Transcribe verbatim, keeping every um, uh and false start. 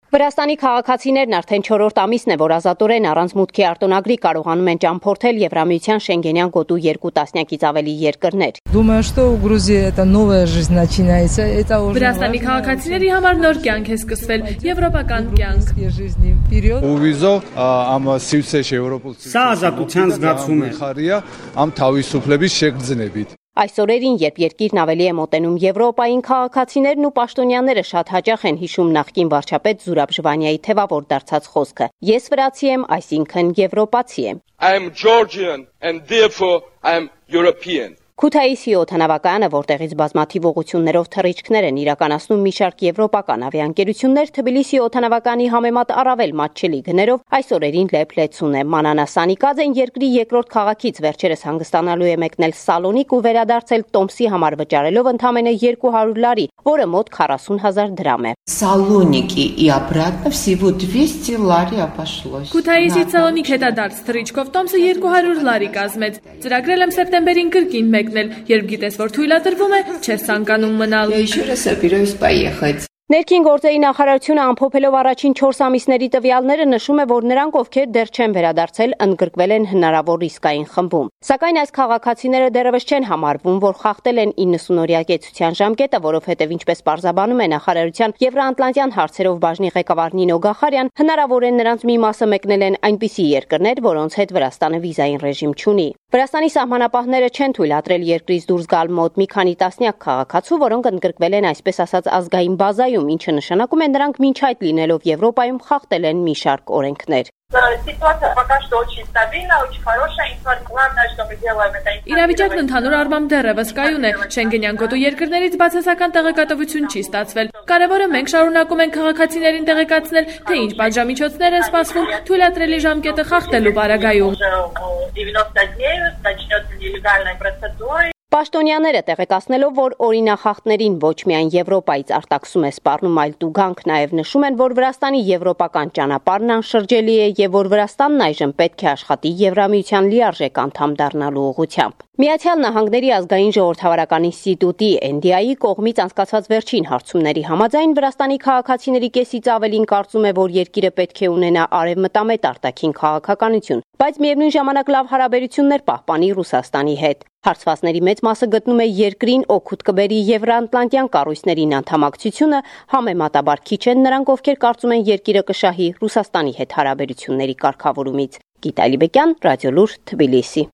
Վրաստանի քաղաքացիներն արդեն չորրորդ ամիսն է, որ ազատորեն առանց մուտքի արտոնագրի կարողանում են ճամփորդել Եվրամիության Շենգենյան գոտու երկու տասնյակից ավելի երկրներ։ Վրաստանի քաղաքացիների համար նոր կյանք է սկսվել, եվրոպական կյանք։ Սա ազատության զգացում է։ Այս օրերին, երբ երկիրն ավելի է մոտենում Եվրոպային, քաղաքացիներն ու պաշտոնյաները շատ հաճախ են հիշում նախկին վարչապետ Զուրաբ Ժվանիայի թևավոր դարձած խոսքը. «Ես վրացի եմ, այսինքն եվրոպացի եմ»։ I am Georgian and therefore I am European. Քութայիսի օդանավակայանը, որտեղից բազմաթիվ ուղղություններով թռիչքներ են իրականացնում մի շարք եվրոպական ավիաընկերություններ, Թբիլիսի օդանավակայանի համեմատ առավել մատչելի գներով այս օրերին լեփ-լեցուն է։ Մանանա Սանիկաձեն երկրի երկրորդ քաղաքից վերջերս հանգստանալու է մեկնել Սալոնիկ ու վերադարձել տոմսի համար վճարելով ընդամենը երկու հարյուր լարի, որը մոտ քառասուն հազար դրամ է։ Սալոնիկի и обратно всего двести лари обошлось. Քութայիսից Սալոնիկ հետադարձ թռիչքով տոմսը երկու հարյուր լարի կազմեց։ Ծրագրել եմ սեպտեմբերին կրկին մեկնել, երբ գիտես, որ թույլատրվում է, չես ցանկանում մնալ։ Я еще раз собираюсь поехать. Ներքին գործերի նախարարությունը ամփոփելով առաջին չորս ամիսների տվյալները նշում է, որ նրանք, ովքեր դեռ չեն վերադարձել, ընդգրկվել են հնարավոր ռիսկային խմբում։ Սակայն այս քաղաքացիները դեռևս չեն համարվում, որ խախտել են իննսունօրյա կեցության ժամկետը, որովհետև ինչպես պարզաբանում է նախարարության Եվրոատլանտյան հարցերով բաժնի ղեկավար Նինո Գախարյան, հնարավոր է նրանց մի մասը մեկնել են այնպիսի երկրներ, որոնց հետ Վրաստանը վիզային ռեժիմ չունի։ Վրաստանի սահմանապահները չեն թույլատրել երկրից դուրս գալ մոտ մի քանի տասնյակ քաղաքացու, որոնք ընդգրկվել են այսպես ասած ազգային բազայում, ինչը նշանակում է նրանք մինչ այդ լինելով Եվրոպայում խախտել են մի շարք օրենքներ։ Ситуация пока что очень стабильна, очень хорошая. Главное, что мы делаем, это... Իրավիճակն ընդհանուր առմամբ դեռևս կայուն է։ Շենգենյան գոտու երկրներից բացասական տեղեկատվություն չի ստացվել։ Կարևորը մենք շարունակում ենք քաղաքացիներին տեղեկացնել, թե ինչ պատժամիջոցներ են սպասվում թույլատրելի ժամկետը խախտելու պարագայում։ Պաշտոնյաները տեղեկացնելով, որ օրինախախտներին ոչ միայն Եվրոպայից արտաքսում է սպառնում, այլ տուգանք նաև նշում են, որ Վրաստանի եվրոպական ճանապարհն անշրջելի է եւ որ Վրաստանն այժմ պետք է աշխատի Եվրամիության լիարժեք անդամ դառնալու ուղղությամբ։ Միացյալ Նահանգների ազգային ժողովրդավարական ինստիտուտի Էն Դի Այի կողմից անցկացված վերջին հարցումների համաձայն Վրաստանի քաղաքացիների կեսից ավելին կարծում է, որ երկիրը պետք է ունենա արևմտամետ արտաքին քաղաքականություն, բայց միևնույն ժամանակ լավ հարաբերություններ պահպանի Ռուսաստանի հետ։ Հարցվածների մեծ մասը գտնում է երկրին օգուտ կբերի Եվրոատլանտյան կառույցներին անդամակցությունը, համեմատաբար քիչ են նրանք, ովքեր կարծում են երկիրը կշահի Ռուսաստանի հետ հարաբերությունների կարգավորումից։ Գիտալի Բեկյան, Ռադիոլուր, Թբիլիսի։